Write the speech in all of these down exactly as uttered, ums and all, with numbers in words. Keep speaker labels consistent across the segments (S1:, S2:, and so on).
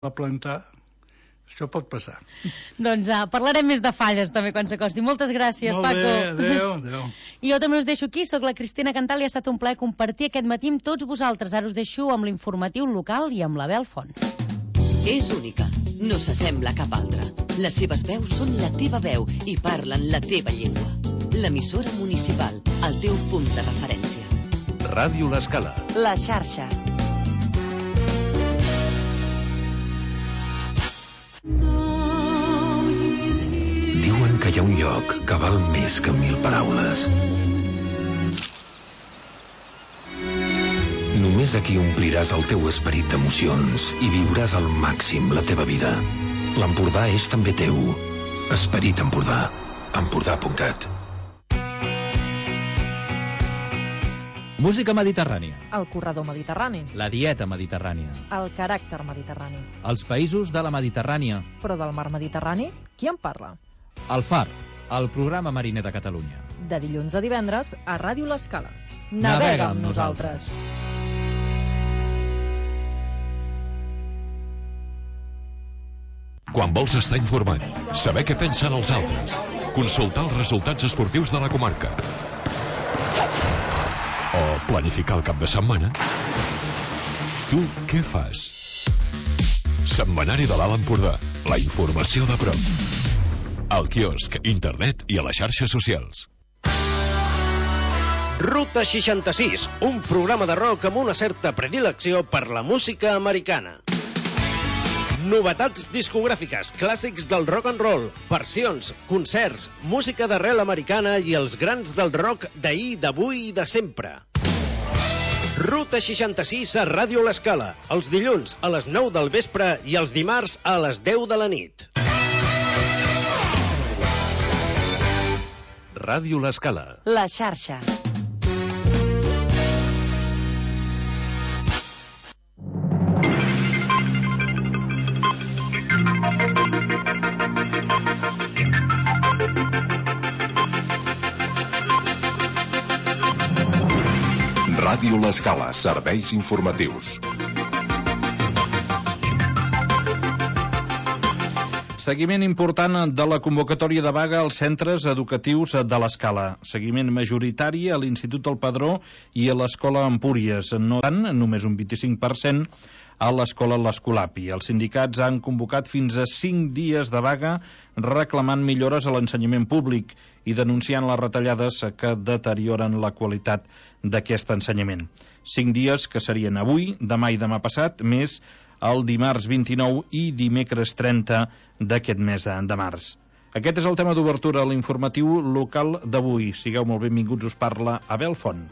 S1: la plantar, això pot passar.
S2: Doncs uh, parlarem més de falles també quan s'acosti. Moltes gràcies,
S1: Molt
S2: Paco.
S1: Molt bé, adéu, adéu.
S2: I jo també us deixo aquí, sóc la Cristina Cantal i ha estat un plaer compartir aquest matí amb tots vosaltres. Ara us deixo amb l'informatiu local i amb la Bel Font.
S3: És única, no s'assembla a cap altra. Les seves veus són la teva veu i parlen la teva llengua. L'emissora municipal, el teu punt de referència.
S4: Ràdio L'Escala.
S2: La xarxa.
S4: Diuen que hi ha un lloc que val més que mil paraules. Només aquí ompliràs el teu esperit d'emocions i viuràs al màxim la teva vida. L'Empordà és també teu. Esperit Empordà. Empordà punt cat.
S5: Música mediterrània.
S6: El corredor mediterrani.
S5: La dieta mediterrània.
S6: El caràcter mediterrani.
S5: Els països de la Mediterrània.
S6: Però del mar Mediterrani, qui en parla?
S5: El Far, el programa mariner de Catalunya.
S6: De dilluns a divendres a Ràdio L'Escala.
S5: Navega,
S6: Navega
S5: amb
S6: amb nosaltres.
S7: Quan vols estar informat, saber què pensen els altres, consultar els resultats esportius de la comarca o planificar el cap de setmana, tu què fas? Setmanari de l'Alt Empordà, la informació de prop. Al quiosc, internet i a les xarxes socials.
S8: Ruta seixanta-sis, un programa de rock amb una certa predilecció per la música americana. Novetats discogràfiques, clàssics del rock and roll, versions, concerts, música d'arrel americana i els grans del rock d'ahir, d'avui i de sempre. Ruta seixanta-sis a Ràdio L'Escala, els dilluns a les nou del vespre i els dimarts a les deu de la nit.
S4: Ràdio L'Escala.
S2: La xarxa.
S9: Ràdio L'Escala, serveis informatius.
S10: Seguiment important de la convocatòria de vaga als centres educatius de l'Escala. Seguiment majoritari a l'Institut del Padró i a l'Escola Empúries. No tant, només un vint-i-cinc per cent, a l'Escola l'Escolapi. Els sindicats han convocat fins a cinc dies de vaga reclamant millores a l'ensenyament públic i denunciant les retallades que deterioren la qualitat d'aquest ensenyament. Cinc dies que serien avui, demà i demà passat, més el dimarts vint-i-nou i dimecres trenta d'aquest mes de març. Aquest és el tema d'obertura a l'informatiu local d'avui. Sigueu molt benvinguts, us parla Abel Font.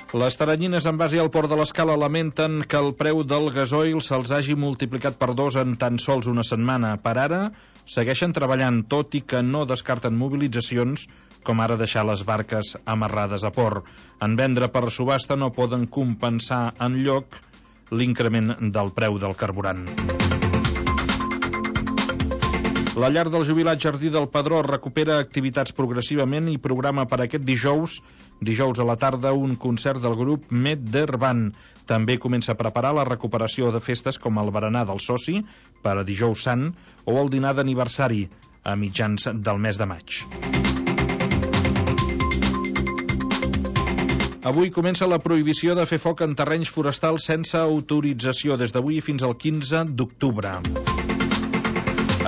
S10: Les taranyines en base al Port de l'Escala lamenten que el preu del gasoil se'ls hagi multiplicat per dos en tan sols una setmana. Per ara, segueixen treballant, tot i que no descarten mobilitzacions, com ara deixar les barques amarrades a port. En vendre per subhasta no poden compensar enlloc l'increment del preu del carburant. La llar del jubilat Jardí del Padró recupera activitats progressivament i programa per aquest dijous, dijous a la tarda, un concert del grup Meddervan. També comença a preparar la recuperació de festes com el berenar del soci per a dijous sant o el dinar d'aniversari a mitjans del mes de maig. Avui comença la prohibició de fer foc en terrenys forestals sense autorització des d'avui fins al quinze d'octubre.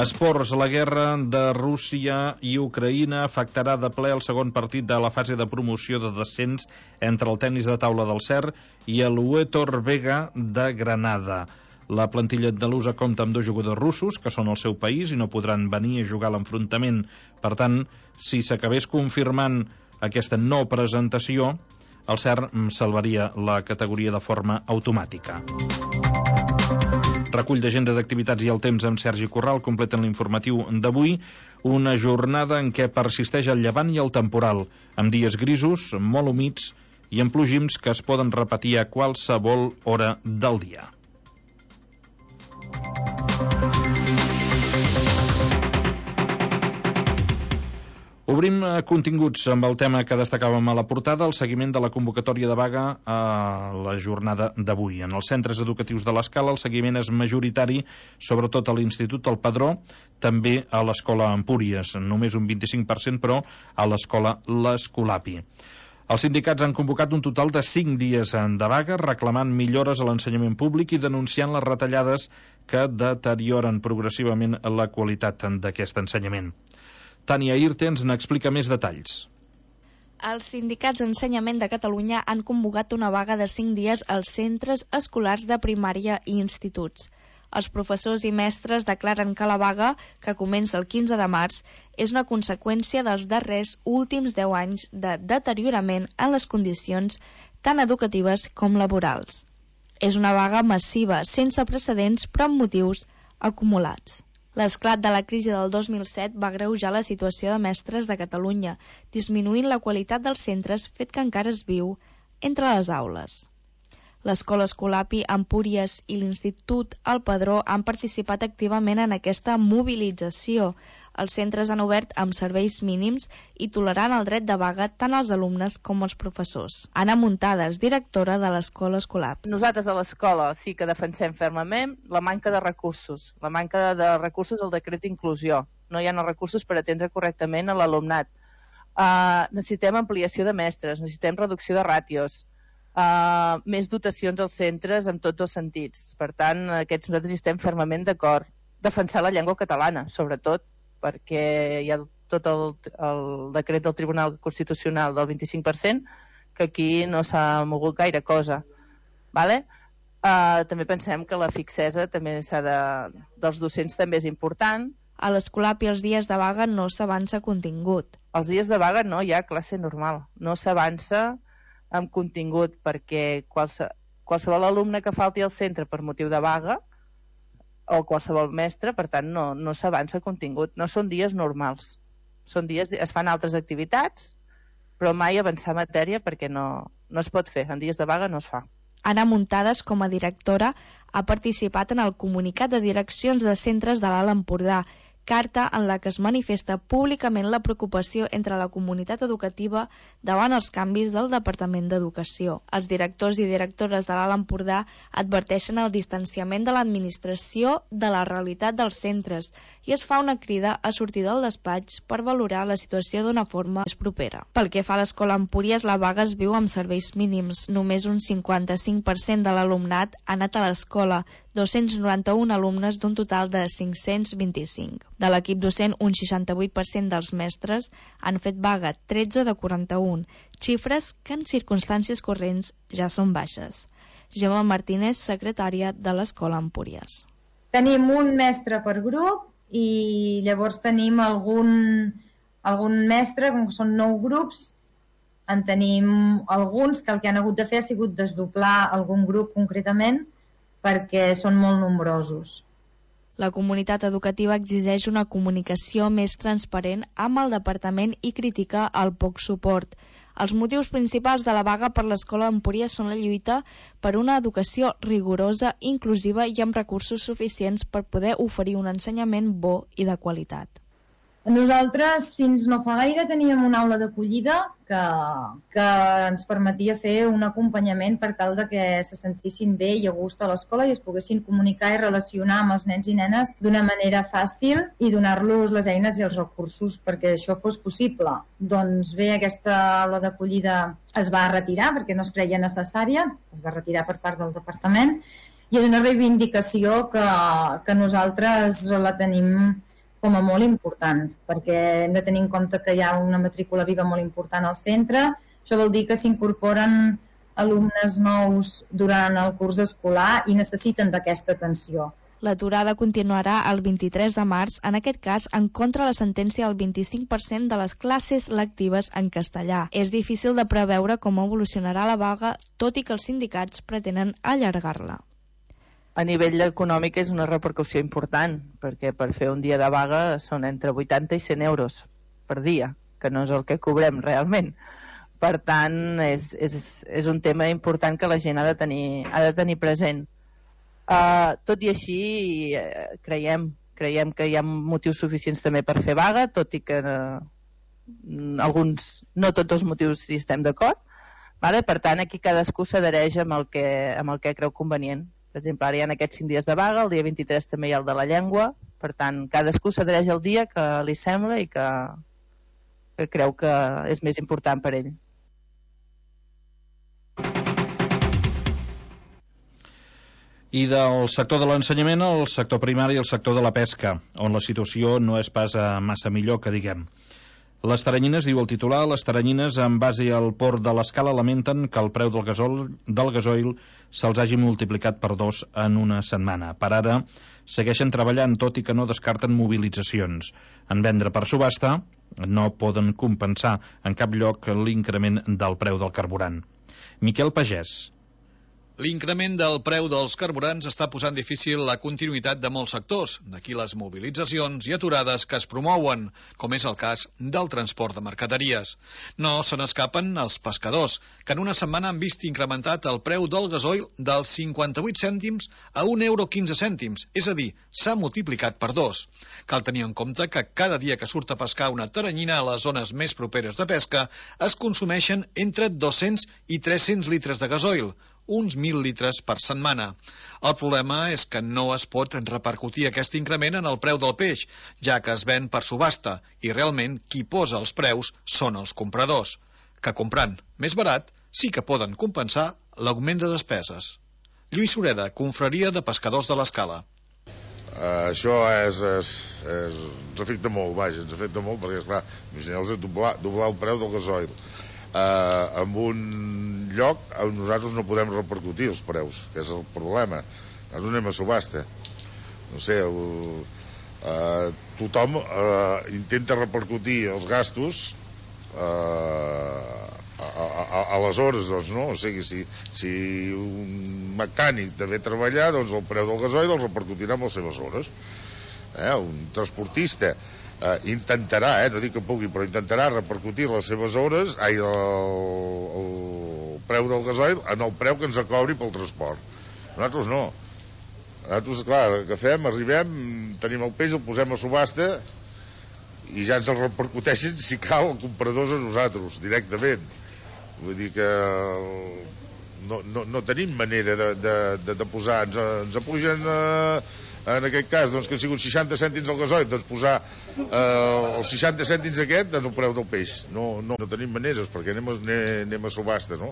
S10: Esports, la guerra de Rússia i Ucraïna afectarà de ple el segon partit de la fase de promoció de descens entre el tennis de taula del C E R i el Huetor Vega de Granada. La plantilla andalusa compta amb dos jugadors russos, que són al seu país i no podran venir a jugar a l'enfrontament. Per tant, si s'acabés confirmant aquesta no presentació, el C E R salvaria la categoria de forma automàtica. Recull d'agenda d'activitats i el temps amb Sergi Corral completen l'informatiu d'avui, una jornada en què persisteix el llevant i el temporal, amb dies grisos, molt humits i amb plogims que es poden repetir a qualsevol hora del dia. Obrim continguts amb el tema que destacàvem a la portada, el seguiment de la convocatòria de vaga a la jornada d'avui. En els centres educatius de l'Escala el seguiment és majoritari, sobretot a l'Institut El Padró, també a l'Escola Empúries, només un vint-i-cinc per cent, però a l'Escola l'Escolapi. Els sindicats han convocat un total de cinc dies de vaga, reclamant millores a l'ensenyament públic i denunciant les retallades que deterioren progressivament la qualitat d'aquest ensenyament. Tània Irte ens n'explica més detalls.
S11: Els sindicats d'Ensenyament de Catalunya han convocat una vaga de cinc dies als centres escolars de primària i instituts. Els professors i mestres declaren que la vaga, que comença el quinze de març, és una conseqüència dels darrers últims deu anys de deteriorament en les condicions tant educatives com laborals. És una vaga massiva, sense precedents, però amb motius acumulats. L'esclat de la crisi del dos mil set va agreujar la situació de mestres de Catalunya, disminuint la qualitat dels centres, fet que encara es viu entre les aules. L'Escola Escolapi, Empúries i l'Institut El Padró han participat activament en aquesta mobilització. Els centres han obert amb serveis mínims i tolerant el dret de vaga tant als alumnes com als professors. Anna Muntades, directora de l'Escola Escolapi.
S12: Nosaltres a l'escola sí que defensem fermament la manca de recursos, la manca de recursos al decret d'inclusió. No hi ha els recursos per atendre correctament a l'alumnat. Uh, necessitem ampliació de mestres, necessitem reducció de ràtios, Uh, més dotacions als centres en tots els sentits. Per tant, aquests nosaltres estem fermament d'acord. Defensar la llengua catalana, sobretot, perquè hi ha tot el, el decret del Tribunal Constitucional del vint-i-cinc per cent, que aquí no s'ha mogut gaire cosa. Vale? Uh, també pensem que la fixesa també s'ha de, dels docents també és important.
S11: A l'Escolapi els dies de vaga no s'avança contingut.
S12: Els dies de vaga no hi ha classe normal, no s'avança amb contingut, perquè qualse, qualsevol alumne que falti al centre per motiu de vaga o qualsevol mestre, per tant, no, no s'avança contingut. No són dies normals. Són dies, es fan altres activitats, però mai avançar matèria perquè no, no es pot fer. En dies de vaga no es fa.
S11: Anna Muntades, com a directora, ha participat en el comunicat de direccions de centres de l'Alt Empordà, carta en la que es manifesta públicament la preocupació entre la comunitat educativa davant els canvis del Departament d'Educació. Els directors i directores de l'Alt Empordà adverteixen el distanciament de l'administració de la realitat dels centres i es fa una crida a sortir del despatx per valorar la situació d'una forma més propera. Pel que fa a l'Escola Empúries, la vaga es viu amb serveis mínims. Només un cinquanta-cinc per cent de l'alumnat ha anat a l'escola, dos-cents noranta-un alumnes d'un total de cinc-cents vint-i-cinc. De l'equip docent, un seixanta-vuit per cent dels mestres han fet vaga, tretze de quaranta-un, xifres que en circumstàncies corrents ja són baixes. Gemma Martínez, secretària de l'Escola Empúries.
S13: Tenim un mestre per grup i llavors tenim algun, algun mestre, com que són nou grups, en tenim alguns que el que han hagut de fer ha sigut desdoblar algun grup concretament perquè són molt nombrosos.
S11: La comunitat educativa exigeix una comunicació més transparent amb el departament i critica el poc suport. Els motius principals de la vaga per l'Escola Empúries són la lluita per una educació rigorosa, inclusiva i amb recursos suficients per poder oferir un ensenyament bo i de qualitat.
S13: Nosaltres fins no fa gaire teníem una aula d'acollida que, que ens permetia fer un acompanyament per tal de que se sentissin bé i a gust a l'escola i es poguessin comunicar i relacionar amb els nens i nenes d'una manera fàcil i donar-los les eines i els recursos perquè això fos possible. Doncs bé, aquesta aula d'acollida es va retirar perquè no es creia necessària, es va retirar per part del departament i és una reivindicació que, que nosaltres la tenim com a molt important, perquè hem de tenir en compte que hi ha una matrícula viva molt important al centre. Això vol dir que s'incorporen alumnes nous durant el curs escolar i necessiten d'aquesta atenció.
S11: L'aturada continuarà el vint-i-tres de març, en aquest cas en contra la sentència del vint-i-cinc per cent de les classes lectives en castellà. És difícil de preveure com evolucionarà la vaga, tot i que els sindicats pretenen allargar-la.
S12: A nivell econòmic és una repercussió important, perquè per fer un dia de vaga són entre vuitanta i cent euros per dia, que no és el que cobrem realment. Per tant, és, és, és un tema important que la gent ha de tenir, ha de tenir present. Uh, tot i així, uh, creiem, creiem que hi ha motius suficients també per fer vaga, tot i que uh, alguns, no tots els motius hi estem d'acord, vale? Per tant, aquí cadascú s'adhereix amb, el que, amb el que creu convenient. Per exemple, ara hi ha aquests cinc dies de vaga, el dia vint-i-tres també hi ha el de la llengua, per tant, cadascú s'adhereix al dia que li sembla i que, que creu que és més important per ell.
S10: I del sector de l'ensenyament al sector primari i el sector de la pesca, on la situació no és pas massa millor que diguem. Les taranyines, diu el titular, les taranyines en base al port de l'Escala lamenten que el preu del gasoil, del gasoil se'ls hagi multiplicat per dos en una setmana. Per ara, segueixen treballant, tot i que no descarten mobilitzacions. En vendre per subhasta no poden compensar en cap lloc l'increment del preu del carburant. Miquel Pagès.
S14: L'increment del preu dels carburants està posant difícil la continuïtat de molts sectors, d'aquí les mobilitzacions i aturades que es promouen, com és el cas del transport de mercaderies. No se n'escapen els pescadors, que en una setmana han vist incrementat el preu del gasoil dels cinquanta-vuit cèntims a un euro quinze cèntims, és a dir, s'ha multiplicat per dos. Cal tenir en compte que cada dia que surt a pescar una taranyina a les zones més properes de pesca es consumeixen entre dos-cents i tres-cents litres de gasoil, uns mil litres per setmana. El problema és que no es pot repercutir aquest increment en el preu del peix, ja que es ven per subhasta, i realment qui posa els preus són els compradors, que comprant més barat sí que poden compensar l'augment de despeses. Lluís Sureda, Confraria de Pescadors de l'Escala.
S15: Uh, això és, és, és, ens afecta molt, vaja, ens afecta molt perquè, esclar, imagineu-vos doblar, doblar el preu del gasoil. Uh, en un lloc on nosaltres no podem repercutir els preus, que és el problema. Nosaltres anem a subhasta. No sé, uh, uh, tothom uh, intenta repercutir els gastos uh, a, a, a les hores, doncs, no? O sigui, si, si un mecànic deve treballar, doncs el preu del gasoil el repercutirà amb les seves hores. Eh? Un transportista Uh, intentarà, eh, no dic que pugui, però intentarà repercutir les seves hores, ai, el, el preu del gasoil en el preu que ens cobri pel transport. Nosaltres no. Nosaltres, clar, que fem, arribem, tenim el peix, el posem a subhasta i ja ens el repercuteixen, si cal, els compradors a nosaltres, directament. Vull dir que no, no, no tenim manera de, de, de, de posar, ens, ens apugen... Eh, en aquest cas, doncs, que han sigut seixanta cèntims al gasoil, doncs posar eh, els seixanta cèntims aquest en el preu del peix. No, no, no tenim maneres, perquè anem a, anem a subhasta, no?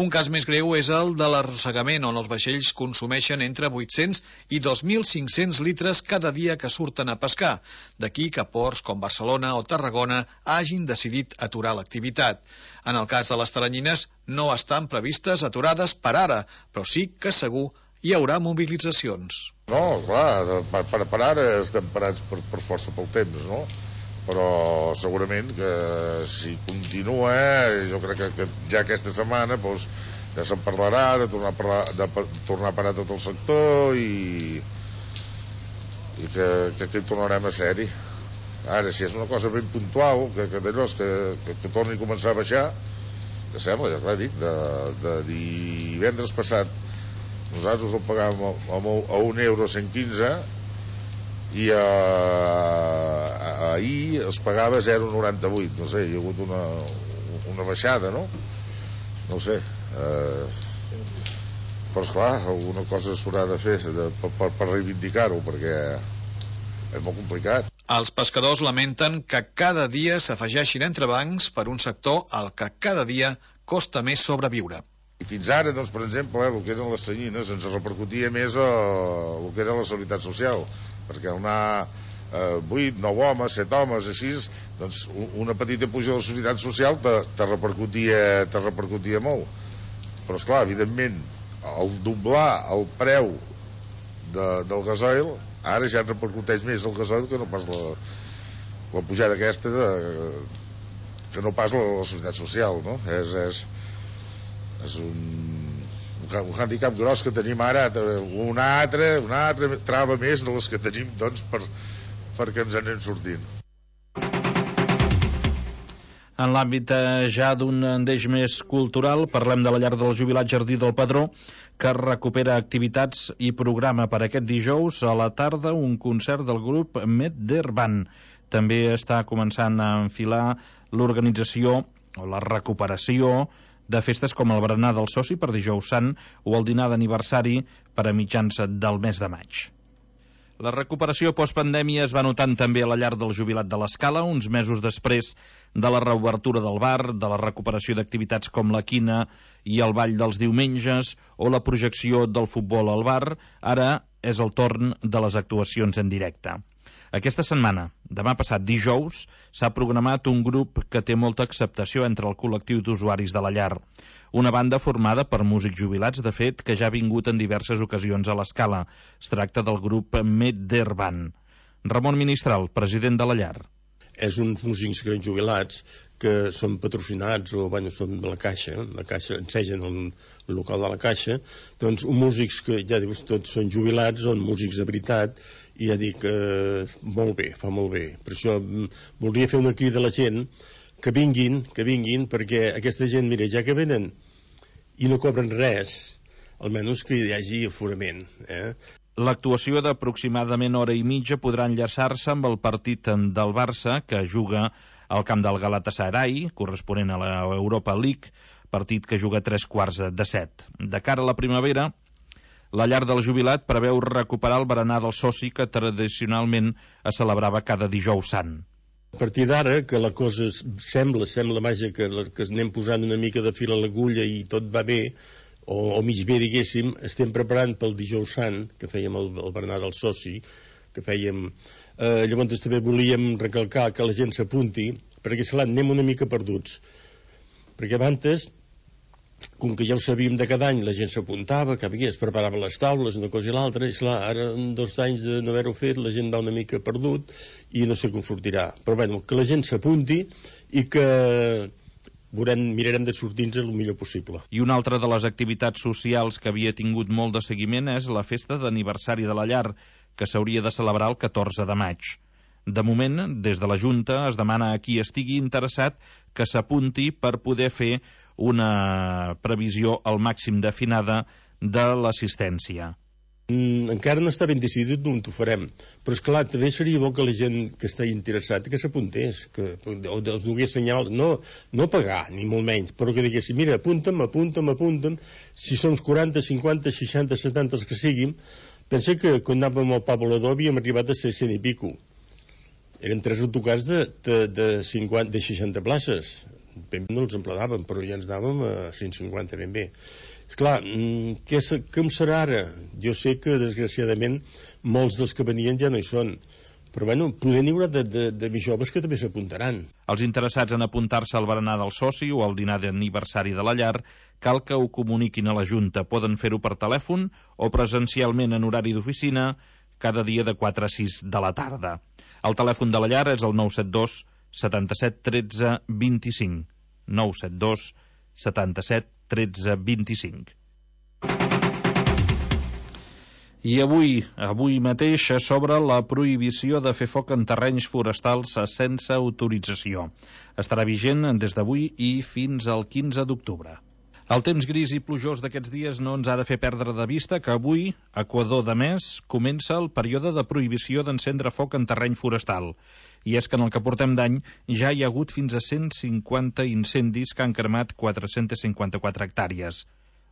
S14: Un cas més greu és el de l'arrossegament, on els vaixells consumeixen entre vuit-cents i dos mil cinc-cents litres cada dia que surten a pescar. D'aquí que ports com Barcelona o Tarragona hagin decidit aturar l'activitat. En el cas de les taranyines, no estan previstes aturades per ara, però sí que segur hi haurà mobilitzacions.
S15: No, clar, per, per, per ara estem parats per, per força pel temps, no? Però segurament que si continua, jo crec que, que ja aquesta setmana doncs, ja se'n parlarà de tornar a, parlar, de, de tornar a parar tot el sector i, i que, que, que hi tornarem a ser-hi. Ara, si és una cosa ben puntual, que, que d'allò que, que, que torni a començar a baixar, que sembla, ja clar, dic, de, de divendres passat nosaltres el pagàvem a, a un euro cent quinze i a, a, ahir es pagava zero coma noranta-vuit. No sé, hi ha hagut una, una baixada, no? No ho sé. Eh, però, esclar, alguna cosa s'haurà de fer de, per, per, per reivindicar-ho, perquè és molt complicat.
S14: Els pescadors lamenten que cada dia s'afegeixin entrebancs per un sector al que cada dia costa més sobreviure.
S15: I fins ara, doncs, per exemple, eh, el que eren les tanyines ens repercutia més a, a el que era la seguretat social, perquè al anar eh, vuit, nou homes, set homes, així, doncs una petita puja de la societat social te, te, repercutia, te repercutia molt. Però, esclar, evidentment, el doblar el preu de, del gasoil, ara ja repercuteix més el gasoil que no pas la, la pujada aquesta de, que no pas la, la societat social, no? És... és és un, un handicap gros que tenim ara, una altra, una altra trava més de les que tenim, doncs, per, perquè ens anem sortint.
S10: En l'àmbit ja d'un deix més cultural, parlem de la llar del jubilat Jardí del Padró, que recupera activitats i programa per aquest dijous a la tarda un concert del grup Medderban. també està començant a enfilar l'organització o la recuperació de festes com el berenar del soci per dijous sant o el dinar d'aniversari per a mitjans del mes de maig. La recuperació postpandèmia es va notant també a la llar del jubilat de l'Escala, uns mesos després de la reobertura del bar, de la recuperació d'activitats com la quina i el ball dels diumenges o la projecció del futbol al bar. Ara és el torn de les actuacions en directe. Aquesta setmana, demà passat dijous, s'ha programat un grup que té molta acceptació entre el col·lectiu d'usuaris de la llar. Una banda formada per músics jubilats, de fet, que ja ha vingut en diverses ocasions a l'Escala. Es tracta del grup Medderban. Ramon Ministral, president de la llar.
S16: És uns músics grans jubilats que són patrocinats o bueno, són de la Caixa, la Caixa ensegen el local de la Caixa, doncs uns músics que ja dius tots són jubilats, són músics de veritat, i ja dic eh, molt bé, fa molt bé. Per això voldria fer una crida a la gent que vinguin, que vinguin, perquè aquesta gent, mira, ja que venen i no cobren res, almenys que hi hagi aforament. Eh?
S10: L'actuació d'aproximadament hora i mitja podrà enllaçar-se amb el partit del Barça, que juga al camp del Galatasaray, corresponent a l'Europa League, partit que juga a tres quarts de set. De cara a la primavera, la llar del jubilat preveu recuperar el berenar del soci que tradicionalment es celebrava cada dijous sant.
S16: A partir d'ara, que la cosa sembla, sembla vaja, que, que anem posant una mica de fil a l'agulla i tot va bé, o, o mig bé, diguéssim, estem preparant pel dijous sant, que fèiem el, el berenar del soci, que fèiem... Eh, llavors també volíem recalcar que la gent s'apunti, perquè esclar, anem una mica perduts. Perquè abans, com que ja ho sabíem de cada any, la gent s'apuntava, que es preparava les taules, una cosa i l'altra, i esclar, ara en dos anys de no haver-ho fet, la gent va una mica perdut i no sé com sortirà. Però bueno, que la gent s'apunti i que veurem, mirarem de sortir-nos el millor possible.
S10: I una altra de les activitats socials que havia tingut molt de seguiment és la festa d'aniversari de la llar, que s'hauria de celebrar el catorze de maig. De moment, des de la Junta es demana a qui estigui interessat que s'apunti per poder fer una previsió al màxim definada de l'assistència.
S16: Mm, encara no està ben decidit on ho farem, però és clar, també seria bo que la gent que està interessat que s'apuntés, que o els donés senyal, no, no pagar, ni molt menys, però que diguessin, mira, apunta'm, apunta'm, apunta'm, si som quaranta, cinquanta, seixanta, setanta els que siguin. Pensa que quan anàvem al Pablo Ledó havíem arribat a ser cent i pico. Eren tres autocars de, de, de, cinquanta, de seixanta places. Ben bé no els emplenàvem, però ja ens anàvem a cent cinquanta ben bé. Esclar, què, com serà ara? Jo sé que, desgraciadament, molts dels que venien ja no hi són. Però, bueno, poder n'hi haurà de, de, de més joves que també s'apuntaran.
S10: Els interessats en apuntar-se al berenar del soci o al dinar d'aniversari de la llar cal que ho comuniquin a la Junta. Poden fer-ho per telèfon o presencialment en horari d'oficina cada dia de quatre a sis de la tarda. El telèfon de la llar és el nou set dos setanta-set tretze vint-i-cinc. nou set dos setanta-set tretze vint-i-cinc. I avui, avui mateix s'obre la prohibició de fer foc en terrenys forestals sense autorització. Estarà vigent des d'avui i fins al quinze d'octubre. El temps gris i plujós d'aquests dies no ens ha de fer perdre de vista que avui, a Equador de Mes, comença el període de prohibició d'encendre foc en terreny forestal. I és que en el que portem d'any ja hi ha hagut fins a cent cinquanta incendis que han cremat quatre-cents cinquanta-quatre hectàrees.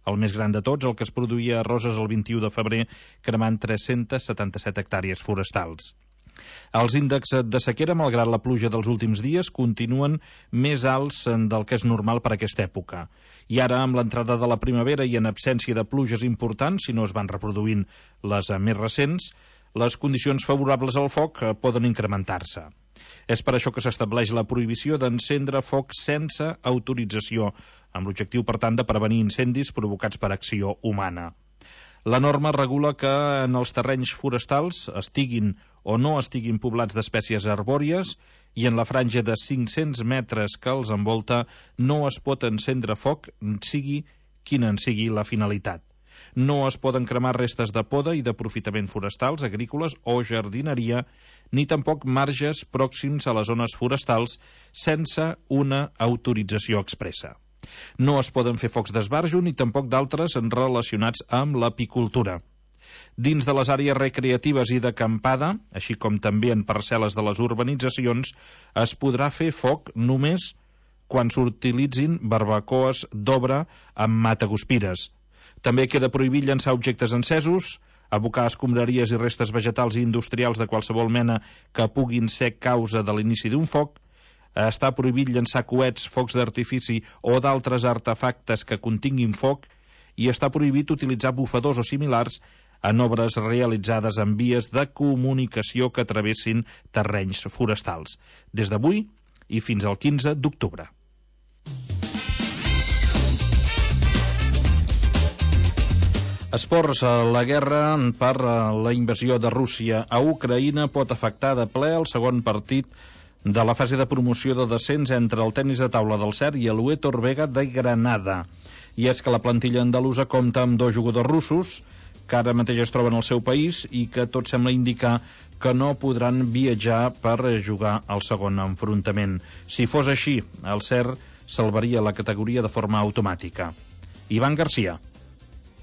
S10: El més gran de tots, el que es produïa a Roses el vint-i-u de febrer, cremant tres-cents setanta-set hectàrees forestals. Els índexs de sequera, malgrat la pluja dels últims dies, continuen més alts del que és normal per aquesta època. I ara, amb l'entrada de la primavera i en absència de pluges importants, si no es van reproduint les més recents, les condicions favorables al foc poden incrementar-se. És per això que s'estableix la prohibició d'encendre foc sense autorització, amb l'objectiu, per tant, de prevenir incendis provocats per acció humana. La norma regula que en els terrenys forestals estiguin o no estiguin poblats d'espècies arbòries i en la franja de cinc-cents metres que els envolta no es pot encendre foc, sigui quina en sigui la finalitat. No es poden cremar restes de poda i d'aprofitament forestals, agrícoles o jardineria, ni tampoc marges pròxims a les zones forestals sense una autorització expressa. No es poden fer focs d'esbarjo ni tampoc d'altres relacionats amb l'apicultura. Dins de les àrees recreatives i d'acampada, així com també en parcel·les de les urbanitzacions, es podrà fer foc només quan s'utilitzin barbacoes d'obra amb mataguspires. També queda prohibit llançar objectes encesos, abocar escombraries i restes vegetals i industrials de qualsevol mena que puguin ser causa de l'inici d'un foc. Està prohibit llançar coets, focs d'artifici o d'altres artefactes que continguin foc, i està prohibit utilitzar bufadors o similars en obres realitzades en vies de comunicació que travessin terrenys forestals, des d'avui i fins al quinze d'octubre. Esports. La guerra per la invasió de Rússia a Ucraïna pot afectar de ple el segon partit de la fase de promoció de descens entre el tennis de taula del C E R i el Huétor Vega de Granada. I és que la plantilla andalusa compta amb dos jugadors russos que ara mateix es troben al seu país i que tot sembla indicar que no podran viatjar per jugar al segon enfrontament. Si fos així, el C E R salvaria la categoria de forma automàtica. Ivan Garcia.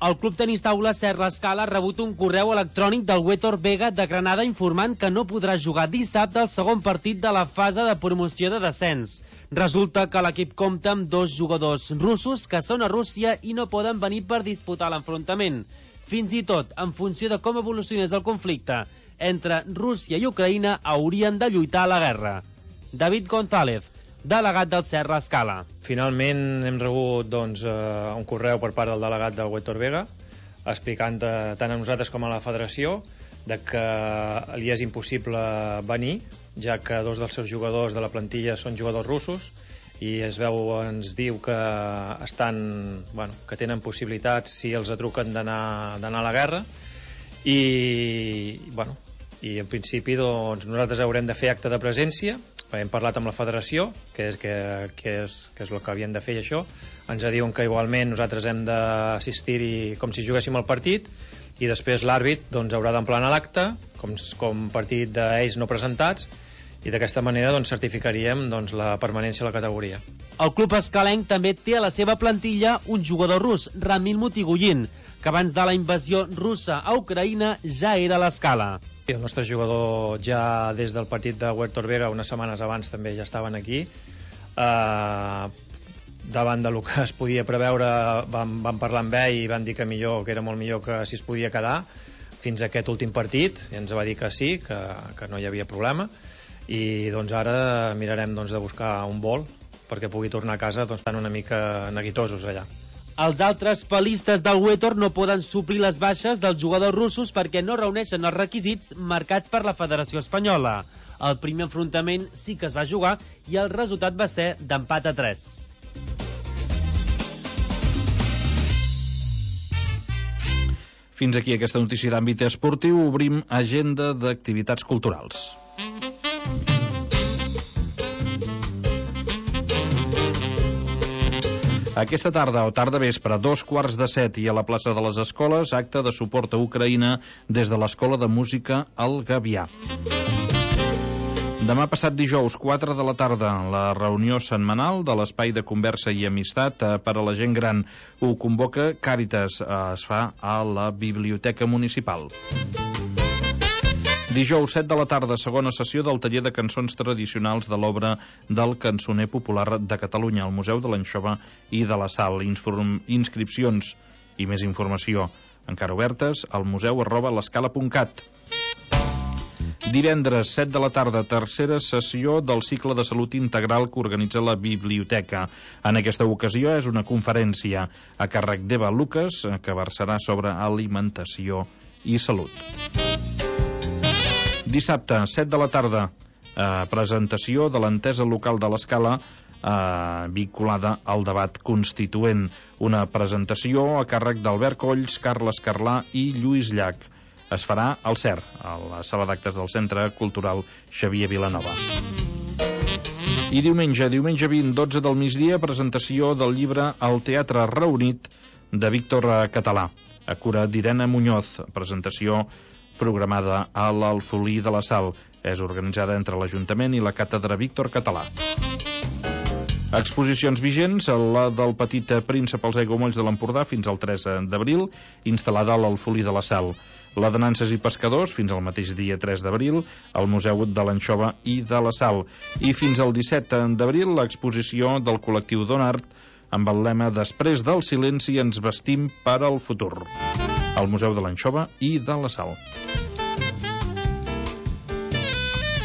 S17: El Club Tenis Taula C E R L'Escala ha rebut un correu electrònic del Huétor Vega de Granada informant que no podrà jugar dissabte el segon partit de la fase de promoció de descens. Resulta que l'equip compta amb dos jugadors russos que són a Rússia i no poden venir per disputar l'enfrontament. Fins i tot, en funció de com evolucionés el conflicte entre Rússia i Ucraïna, haurien de lluitar a la guerra. David González, delegat del C E R L'Escala.
S18: Finalment hem rebut doncs, eh, un correu per part del delegat del Huétor Vega explicant eh, tant a nosaltres com a la federació de que li és impossible venir, ja que dos dels seus jugadors de la plantilla són jugadors russos i es veu, ens diu que estan, bueno, que tenen possibilitats si els atruquen d'anar d'anar a la guerra i, bueno, i en principi doncs, nosaltres haurem de fer acte de presència. Hem parlat amb la federació, que és, que, que és, que és el que havien de fer, i això ens diuen que igualment nosaltres hem d'assistir-hi com si juguéssim el partit, i després l'àrbit doncs, haurà d'emplenar l'acte com, com partit d'ells no presentats, i d'aquesta manera doncs, certificaríem doncs, la permanència a la categoria.
S17: El club escalenc també té a la seva plantilla un jugador rus, Ramil Mutigullin, que abans de la invasió russa a Ucraïna ja era a l'Escala.
S18: El nostre jugador ja des del partit de Huétor Vega unes setmanes abans també ja estaven aquí. Uh, davant del que es podia preveure vam, vam parlar amb ell i van dir que millor, que era molt millor que si es podia quedar fins a aquest últim partit, i ens va dir que sí, que, que no hi havia problema, i doncs ara mirarem doncs, de buscar un vol perquè pugui tornar a casa doncs, estan una mica neguitosos allà.
S17: Els altres palistes del Huétor no poden suplir les baixes dels jugadors russos perquè no reuneixen els requisits marcats per la Federació Espanyola. El primer enfrontament sí que es va jugar i el resultat va ser d'empat a tres.
S10: Fins aquí aquesta notícia d'àmbit esportiu. Obrim agenda d'activitats culturals. Aquesta tarda o tarda vespre, a dos quarts de set i a la plaça de les Escoles, acte de suport a Ucraïna des de l'Escola de Música El Gavià. Demà passat dijous, quatre de la tarda, la reunió setmanal de l'Espai de Conversa i Amistat per a la gent gran. Ho convoca Càritas, es fa a la Biblioteca Municipal. Dijous, set de la tarda, segona sessió del taller de cançons tradicionals de l'obra del cançoner popular de Catalunya, al Museu de l'Anxova i de la Sal. Inform... Inscripcions i més informació encara obertes al museu arroba l'escala punt cat. Divendres, set de la tarda, tercera sessió del cicle de salut integral que organitza la biblioteca. En aquesta ocasió és una conferència a càrrec d'Eva Lucas que versarà sobre alimentació i salut. Dissabte, set de la tarda, eh, presentació de l'entesa local de l'Escala eh, vinculada al debat constituent. Una presentació a càrrec d'Albert Colls, Carles Carlà i Lluís Llach. Es farà al C E R, a la sala d'actes del Centre Cultural Xavier Vilanova. I diumenge, diumenge vint, dotze del migdia, presentació del llibre El Teatre Reunit de Víctor Català, a cura d'Irene Muñoz, presentació programada a l'Alfolí de la Sal. És organitzada entre l'Ajuntament i la Càtedra Víctor Català. Exposicions vigents, la del Petit Príncep als Aiguamolls de l'Empordà fins al tres d'abril, instal·lada a l'Alfolí de la Sal. La de Nanses i Pescadors, fins al mateix dia tres d'abril, al Museu de l'Anxova i de la Sal. I fins al disset d'abril, l'exposició del col·lectiu Donart, amb el lema Després del silenci ens vestim per al futur, al Museu de l'Anxova i de la Sal.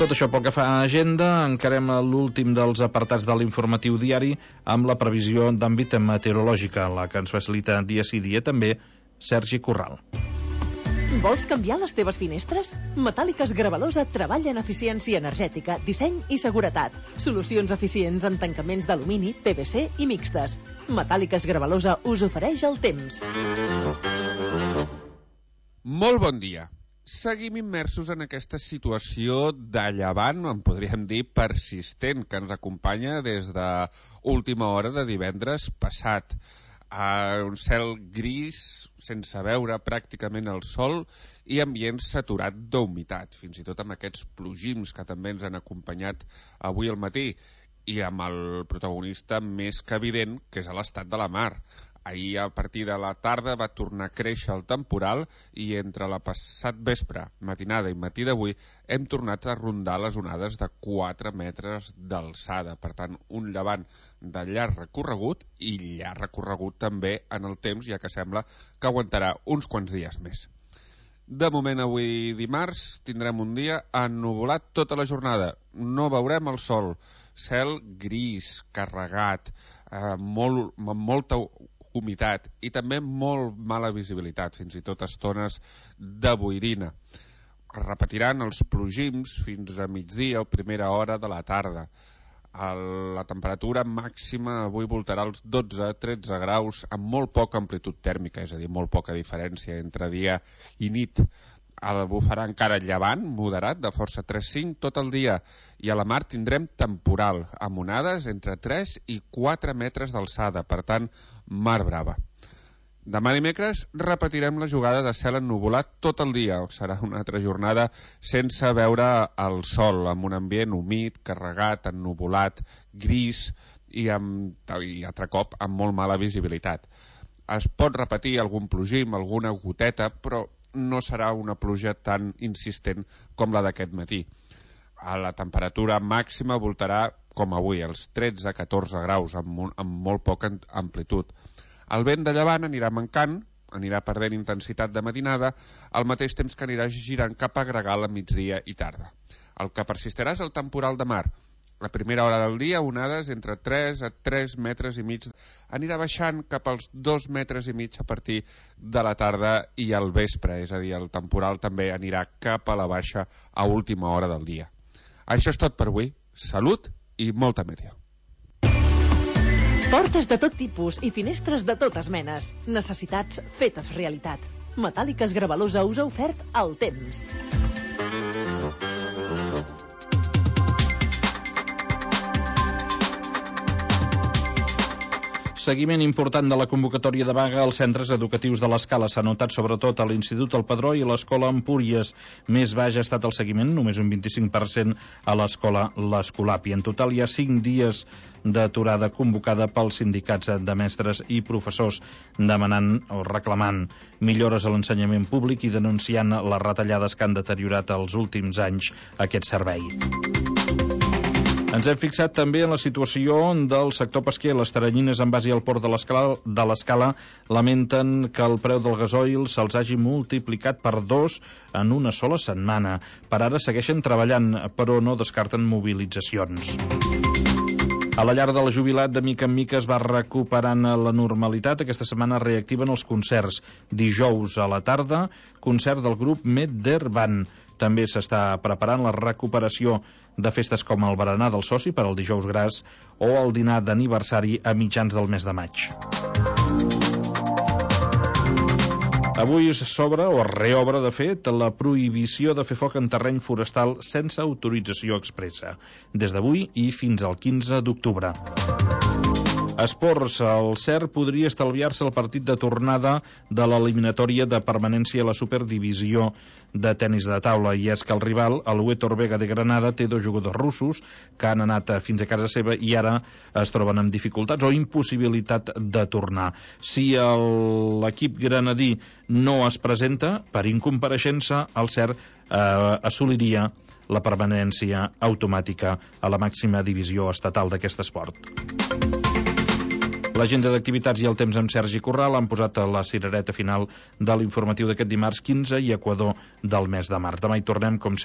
S10: Tot això pel que fa a agenda, encarem l'últim dels apartats de l'informatiu diari amb la previsió d'àmbit meteorològica, la que ens facilita dia sí dia també Sergi Corral.
S19: Vols canviar les teves finestres? Metàl·liques Gravalosa treballa en eficiència energètica, disseny i seguretat. Solucions eficients en tancaments d'alumini, P V C i mixtes. Metàl·liques Gravalosa us ofereix el temps.
S20: Molt bon dia. Seguim immersos en aquesta situació de llevant, en podríem dir persistent, que ens acompanya des de última hora de divendres passat. Uh, un cel gris, sense veure pràcticament el sol i ambient saturat d'humitat, fins i tot amb aquests plogims que també ens han acompanyat avui al matí, i amb el protagonista més que evident, que és a l'estat de la mar. Ahir, a partir de la tarda, va tornar a créixer el temporal i entre la passat vespre, matinada i matí d'avui, hem tornat a rondar les onades de quatre metres d'alçada. Per tant, un llevant de llarg recorregut i llarg recorregut també en el temps, ja que sembla que aguantarà uns quants dies més. De moment, avui dimarts, tindrem un dia ennuvolat tota la jornada. No veurem el sol. Cel gris, carregat, eh, molt, amb molta humitat i també molt mala visibilitat, fins i tot estones de boirina. Es repetiran els plogims fins a migdia o primera hora de la tarda. El, la temperatura màxima avui voltarà als dotze a tretze graus amb molt poca amplitud tèrmica, és a dir, molt poca diferència entre dia i nit. El bufarà encara llevant, moderat, de força tres cinc tot el dia, i a la mar tindrem temporal, amb onades entre tres i quatre metres d'alçada, per tant, mar brava. Demà dimecres repetirem la jugada de cel ennuvolat tot el dia. Serà una altra jornada sense veure el sol, amb un ambient humit, carregat, ennuvolat, gris i, amb, i altre cop amb molt mala visibilitat. Es pot repetir algun plogim, alguna goteta, però no serà una pluja tan insistent com la d'aquest matí. A la temperatura màxima voltarà, com avui, als tretze a catorze graus, amb, un, amb molt poca amplitud. El vent de llevant anirà mancant, anirà perdent intensitat de matinada, al mateix temps que anirà girant cap a Gregal a migdia i tarda. El que persistirà és el temporal de mar. La primera hora del dia, onades entre tres a tres metres i mig. Anirà baixant cap als dos metres i mig a partir de la tarda i al vespre, és a dir, el temporal també anirà cap a la baixa a última hora del dia. Això és tot per avui. Salut i molta meteo.
S19: Portes de tot tipus i finestres de totes menes. Necessitats fetes realitat. Metàl·liques Gravalosa us ha ofert el temps.
S10: Seguiment important de la convocatòria de vaga als centres educatius de l'Escala. S'ha notat sobretot a l'Institut El Padró i a l'Escola Empúries. Més baix ha estat el seguiment, només un vint-i-cinc per cent a l'Escola l'Escolapi. En total hi ha cinc dies d'aturada convocada pels sindicats de mestres i professors, demanant o reclamant millores a l'ensenyament públic i denunciant les retallades que han deteriorat els últims anys aquest servei. Ens hem fixat també en la situació del sector pesquer. Les teranyines en base al port de l'Escala lamenten que el preu del gasoil se'ls hagi multiplicat per dos en una sola setmana. Per ara segueixen treballant, però no descarten mobilitzacions. A la llar de la jubilat, de mica en mica es va recuperant la normalitat. Aquesta setmana reactiven els concerts. Dijous a la tarda, concert del grup Medder Band. També s'està preparant la recuperació de festes com el berenar del soci per al dijous gras o el dinar d'aniversari a mitjans del mes de maig. Avui s'obre o es reobre, de fet, la prohibició de fer foc en terreny forestal sense autorització expressa, des d'avui i fins al quinze d'octubre. Esports, el C E R podria estalviar-se el partit de tornada de l'eliminatòria de permanència a la Superdivisió de tenis de taula, i és que el rival, el Huetor Vega de Granada, té dos jugadors russos que han anat fins a casa seva i ara es troben amb dificultats o impossibilitat de tornar. Si l'equip granadí no es presenta per incompareixença, el C E R eh, assoliria la permanència automàtica a la màxima divisió estatal d'aquest esport. L'agenda d'activitats i el temps amb Sergi Corral han posat la cirereta final de l'informatiu d'aquest dimarts quinze i Equador del mes de març. Demà hi tornem, com sempre,